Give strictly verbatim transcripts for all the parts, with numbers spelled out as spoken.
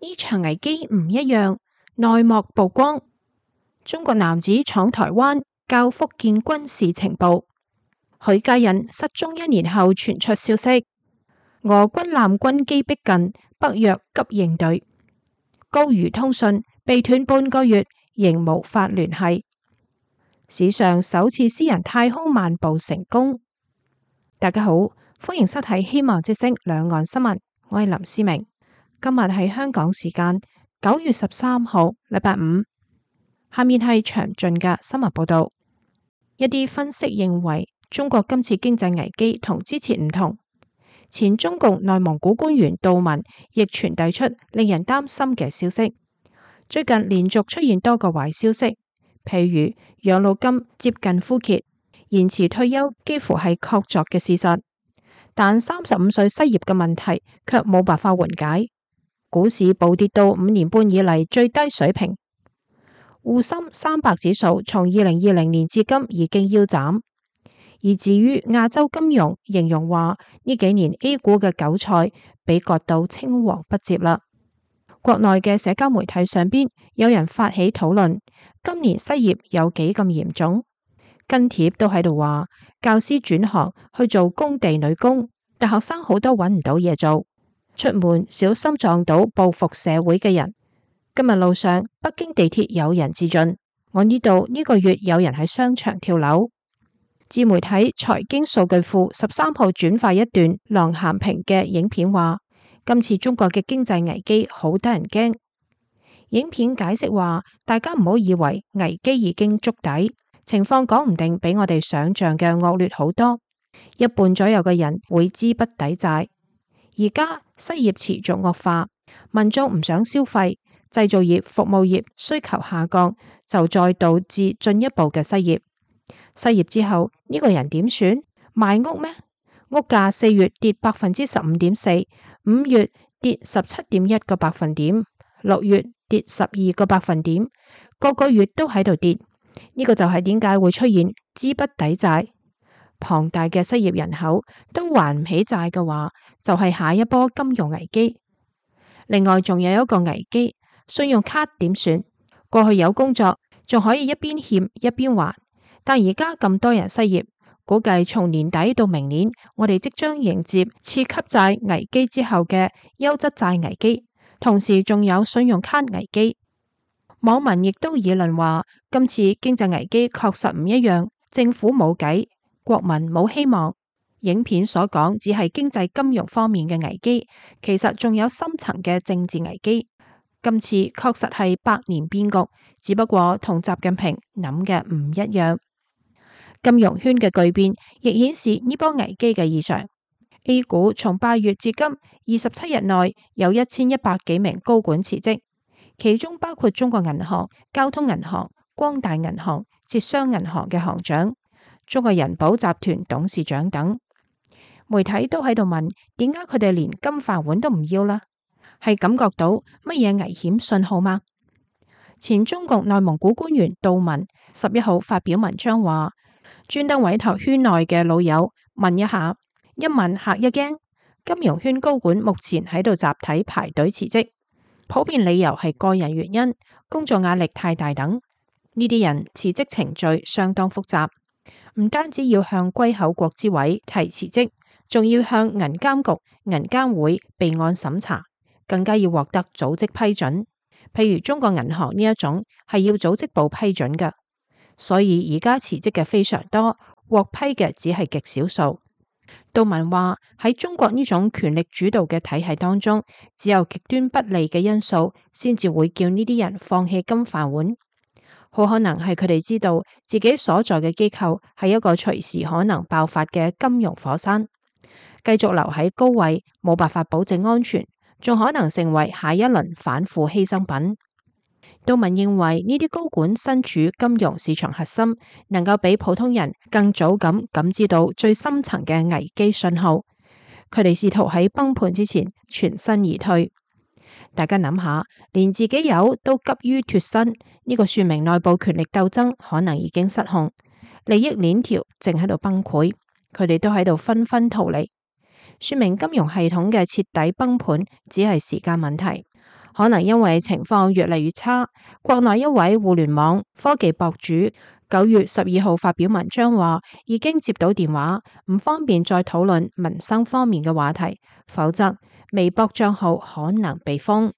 呢場危機唔一樣，內幕曝光。中國男子闖台灣，教福建軍事情報。許家印失蹤一年後傳出消息，俄軍艦軍機逼近，北約急應對。高瑜通訊被斷半個月，仍無法聯繫。史上首次私人太空漫步成功。大家好，歡迎收睇希望之聲兩岸新聞，我係林思明。今日係香港時間九月十三號，禮拜五。下面係詳盡嘅新聞報道。一啲分析認為，中國今次經濟危機同之前唔同。前中共內蒙古官員杜文亦傳遞出令人擔心嘅消息。最近連續出現多個壞消息，譬如養老金接近枯竭，延遲退休幾乎係確鑿嘅事實。但三十五歲失業嘅問題卻冇辦法緩解，股市暴跌到五年半以嚟最低水平。滬深三百指數從二零二零年至今已經腰斬。而至於亞洲金融，形容話呢幾年 A 股嘅韭菜被割到青黃不接啦。國內嘅社交媒體上邊有人發起討論，今年失業有幾咁嚴重？跟帖都喺度話，教師轉行去做工地女工，大學生好多揾唔到嘢做，出門小心撞到報復社會嘅人。今日路上北京地鐵有人自盡，我呢度呢個月有人喺商場跳樓。自媒體財經數據庫十三號轉發一段郎咸平嘅影片，話今次中國嘅經濟危機好得人驚。影片解釋話，大家唔好以為危機已經觸底，情況講唔定比我哋想象嘅惡劣好多。一半左右嘅人會資不抵債。而家失業持續惡化，民眾唔想消費，製造業、服務業需求下降，就再導致進一步嘅失業。失業之後呢個人點算？賣屋咩？屋價四月跌百分之十五點四，五月跌十七點一個百分點，六月跌十二個百分點，個個月都喺度跌。呢個就係點解會出現資不抵債，龐大嘅失業人口都還唔起債嘅話，就係下一波金融危機。另外仲有一個危機，信用卡點算？過去有工作仲可以一邊欠一邊還。但而家咁多人失業，估計從年底到明年，我哋即將迎接次級債危機之後嘅優質債危機，同時仲有信用卡危機。網民亦都議論話，今次經濟危機確實唔一樣，政府冇計，國民冇希望。影片所講只係經濟金融方面嘅危機，其實仲有深層嘅政治危機。今次確實係百年變局，只不過同習近平諗嘅唔一樣。金融圈嘅巨變亦顯示呢波危機嘅異常。A 股從八月至今二十七日內有一千一百幾名高管辭職，其中包括中國銀行、交通銀行、光大銀行、浙商銀行嘅行長、中國人保集團董事長等。媒體都喺度問，點解佢哋連金飯碗都唔要啦？係感覺到乜嘢危險信號嗎？前中共內蒙古官員杜文十一號發表文章話，專登委託圈內嘅老友問一下，一問嚇一驚。金融圈高管目前喺度集體排隊辭職，普遍理由係個人原因、工作壓力太大等。呢啲人辭職程序相當複雜，唔單止要向歸口國資委提辭職，仲要向銀監局、銀監會備案審查，更加要獲得組織批准。譬如中國銀行呢一種係要組織部批准嘅。所以而家辭職嘅非常多，獲批嘅只係極少數。杜文話，喺中國呢種權力主導嘅體系當中，只有極端不利嘅因素先至會叫呢啲人放棄金飯碗。好可能係佢哋知道自己所在嘅機構係一個隨時可能爆發嘅金融火山，繼續留喺高位冇辦法保證安全，仲可能成為下一輪反腐犧牲品。杜文認為呢啲高管身處金融市場核心，能夠比普通人更早咁感知到最深層嘅危機信號。佢哋試圖喺崩盤之前全身而退。大家諗下，連自己友都急於脫身，呢個說明內部權力鬥爭可能已經失控，利益鏈條正喺度崩潰，佢哋都喺度紛紛逃離，說明金融系統嘅徹底崩盤只係時間問題。可能因為情況越嚟越差，國內一位互聯網科技博主九月十二號發表文章話，已經接到電話，唔方便再討論民生方面嘅話題，否則微博賬號可能被封。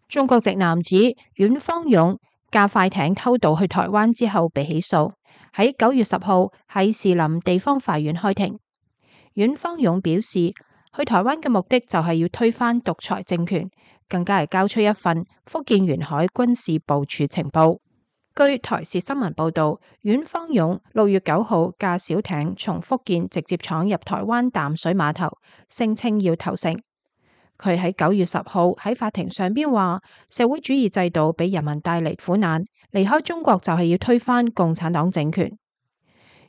中國籍男子阮方勇駕快艇偷渡去台灣之後被起訴，喺九月十號喺士林地方法院開庭。阮方勇表示，去台灣嘅目的就係要推翻獨裁政權，更加係交出一份福建沿海軍事部署情報。據台視新聞報道，阮方勇六月九號駕小艇從福建直接闖入台灣淡水碼頭，聲稱要投誠。佢喺九月十號喺法庭上邊話，社會主義制度俾人民帶嚟苦難，離開中國就係要推翻共產黨政權。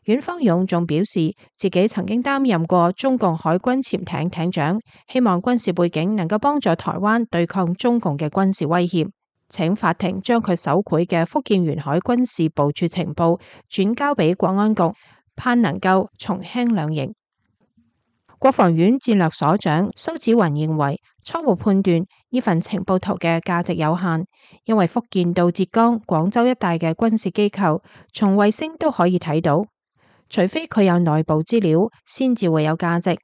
阮方勇仲表示，自己曾經擔任過中共海軍潛艇艇長，希望軍事背景能夠幫助台灣對抗中共嘅軍事威脅，請法庭將佢手繪嘅福建沿海軍事部署情報轉交俾國安局，盼能夠從輕量刑。國防院戰略所長蘇紫雲認為，初步判斷呢份情報圖嘅價值有限，因為福建到浙江、廣州一帶嘅軍事機構從衛星都可以睇到，除非佢有內部資料，先至會有價值。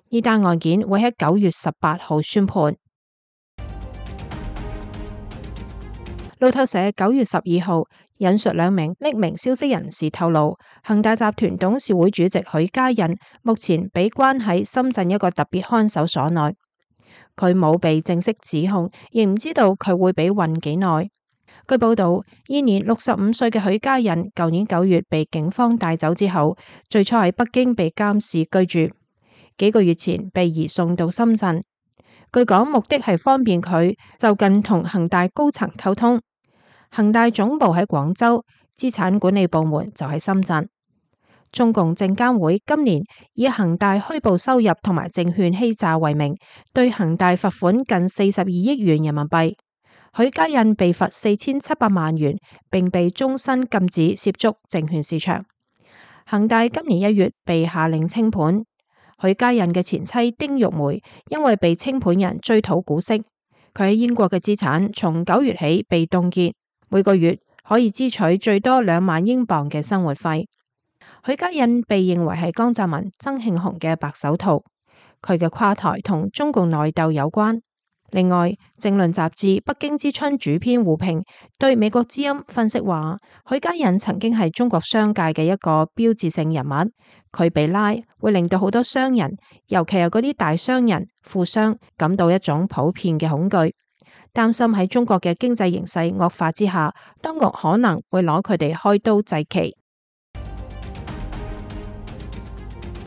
呢單案件會喺九月十八號宣判。路透社九月十二號引述兩名匿名消息人士透露，恒大集團董事會主席許家印目前被關喺深圳一個特別看守所內，佢冇被正式指控，亦唔知道佢會被困幾耐。據報道，現年六十五歲嘅許家印，舊年九月被警方帶走之後，最初喺北京被監視居住，幾個月前被移送到深圳。據講，目的係方便佢就近同恒大高層溝通。恒大總部喺廣州，資產管理部門就喺深圳。中共證監會今年以恒大虛報收入同埋證券欺詐為名，對恒大罰款近四十二億元人民幣。許家印被罰四千七百萬元，並被終身禁止涉足證券市場。恒大今年一月被下令清盤。許家印嘅前妻丁玉梅因為被清盤人追討股息，佢喺英國嘅資產從九月起被凍結，每個月可以支取最多兩萬英鎊嘅生活費。許家印被認為係江澤民、曾慶紅嘅白手套，佢嘅垮台同中共內鬥有關。另外，政論雜誌《北京之春》主編胡平對美國之音分析話，許家印曾經係中國商界嘅一個標誌性人物，佢被拉會令到好多商人，尤其係嗰啲大商人、富商感到一種普遍嘅恐懼，擔心喺中國嘅經濟形勢惡化之下，當局可能會攞佢哋開刀祭旗。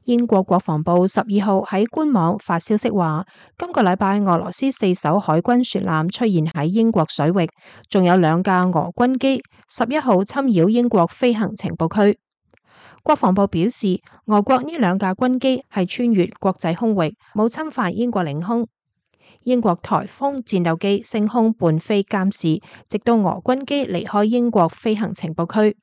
英國國防部十二號喺官網發消息話，今個禮拜俄羅斯四艘海軍船艦出現喺英國水域，仲有兩架俄軍機十一號侵擾英國飛行情報區。國防部表示，俄國呢兩架軍機係穿越國際空域，冇侵犯英國領空。英國颱風戰鬥機升空伴飛監視，直到俄軍機離開英國飛行情報區。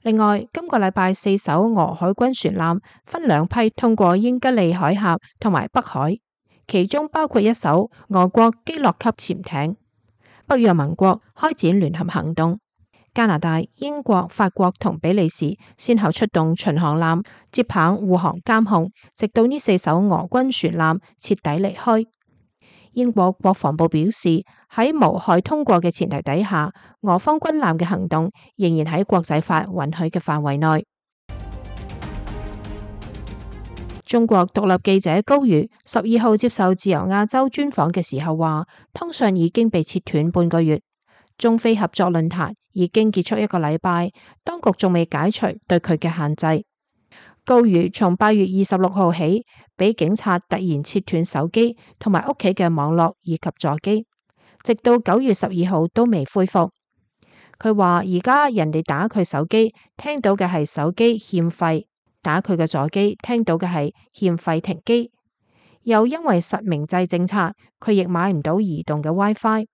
另外，今個禮拜四艘俄海軍船艦分兩批通過英吉利海峽同埋北海，其中包括一艘俄國基洛級潛艇。北約盟國開展聯合行動，加拿大、英國、法國同比利時先後出動巡航艦接棒護航監控，直到呢四艘俄軍船艦徹底離開。英國國防部表示，喺無害通過嘅前提底下，俄方軍艦嘅行動仍然喺國際法允許嘅範圍內。中國獨立記者高瑜十二號接受自由亞洲專訪嘅時候話，通訊已經被切斷半個月，中非合作論壇已經結束一個禮拜，當局仲未解除對佢嘅限制。高瑜從八月二十六號起，俾警察突然切斷手機同埋屋企嘅網絡以及座機，直到九月十二號都未恢復。佢話而家人哋打佢手機，聽到嘅係手機欠費；打佢嘅座機，聽到嘅係欠費停機。又因為實名制政策，佢亦買唔到移動嘅 WiFi。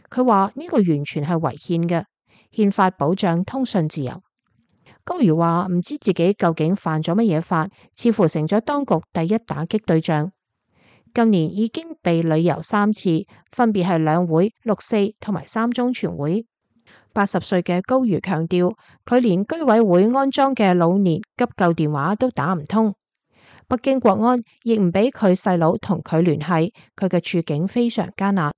佢話呢個完全係違憲嘅，憲法保障通訊自由。高瑜話唔知自己究竟犯咗乜嘢法，似乎成咗當局第一打擊對象。今年已經被旅遊三次，分別係兩會、六四同埋三中全會。八十歲嘅高瑜強調，佢連居委會安裝嘅老年急救電話都打唔通。北京國安亦唔俾佢細佬同佢聯繫，佢嘅處境非常艱難。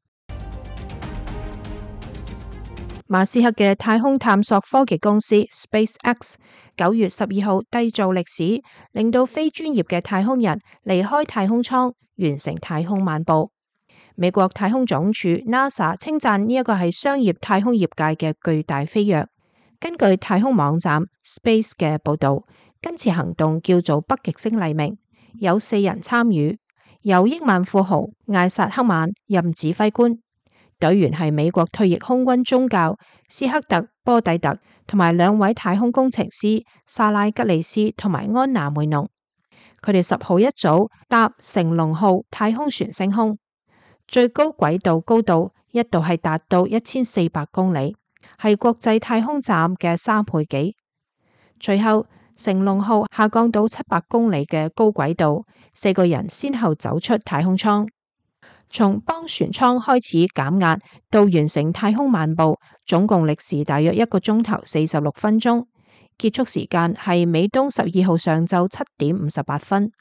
馬斯克嘅太空探索科技公司 SpaceX 九月十二號締造歷史，令到非專業嘅太空人離開太空艙，完成太空漫步。美國太空總署 NASA 稱讚呢一個係商業太空業界嘅巨大飛躍。根據太空網站 Space 嘅報道，今次行動叫做北極星黎明，有四人參與，由億萬富豪艾薩克曼任指揮官。隊員係美國退役空軍中校斯克特波蒂特同埋兩位太空工程師莎拉吉利斯同埋安娜梅農。佢哋十號一早搭成龍號太空船升空，最高軌道高度一度係達到一千四百公里，係國際太空站嘅三倍幾。隨後成龍號下降到七百公里嘅高軌道，四個人先後走出太空艙。從幫船艙開始減壓到完成太空漫步，總共歷時大約一個鐘頭四十六分鐘，結束時間係美東十二號上晝七點五十八分。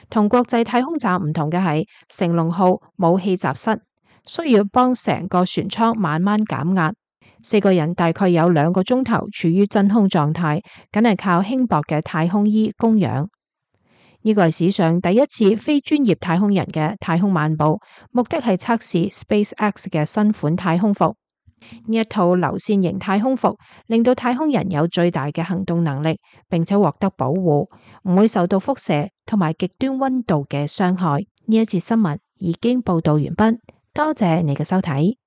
同國際太空站唔同嘅係，成龍號冇氣閘室，需要幫成個船艙慢慢減壓。四個人大概有兩個鐘頭處於真空狀態，梗係靠輕薄嘅太空衣供氧。呢個係史上第一次非專業太空人嘅太空漫步，目的係測試 SpaceX 嘅新款太空服。呢一套流線型太空服令到太空人有最大嘅行動能力，並且獲得保護，唔會受到輻射同埋極端溫度嘅傷害。呢一節新聞已經報道完畢，多謝你嘅收睇。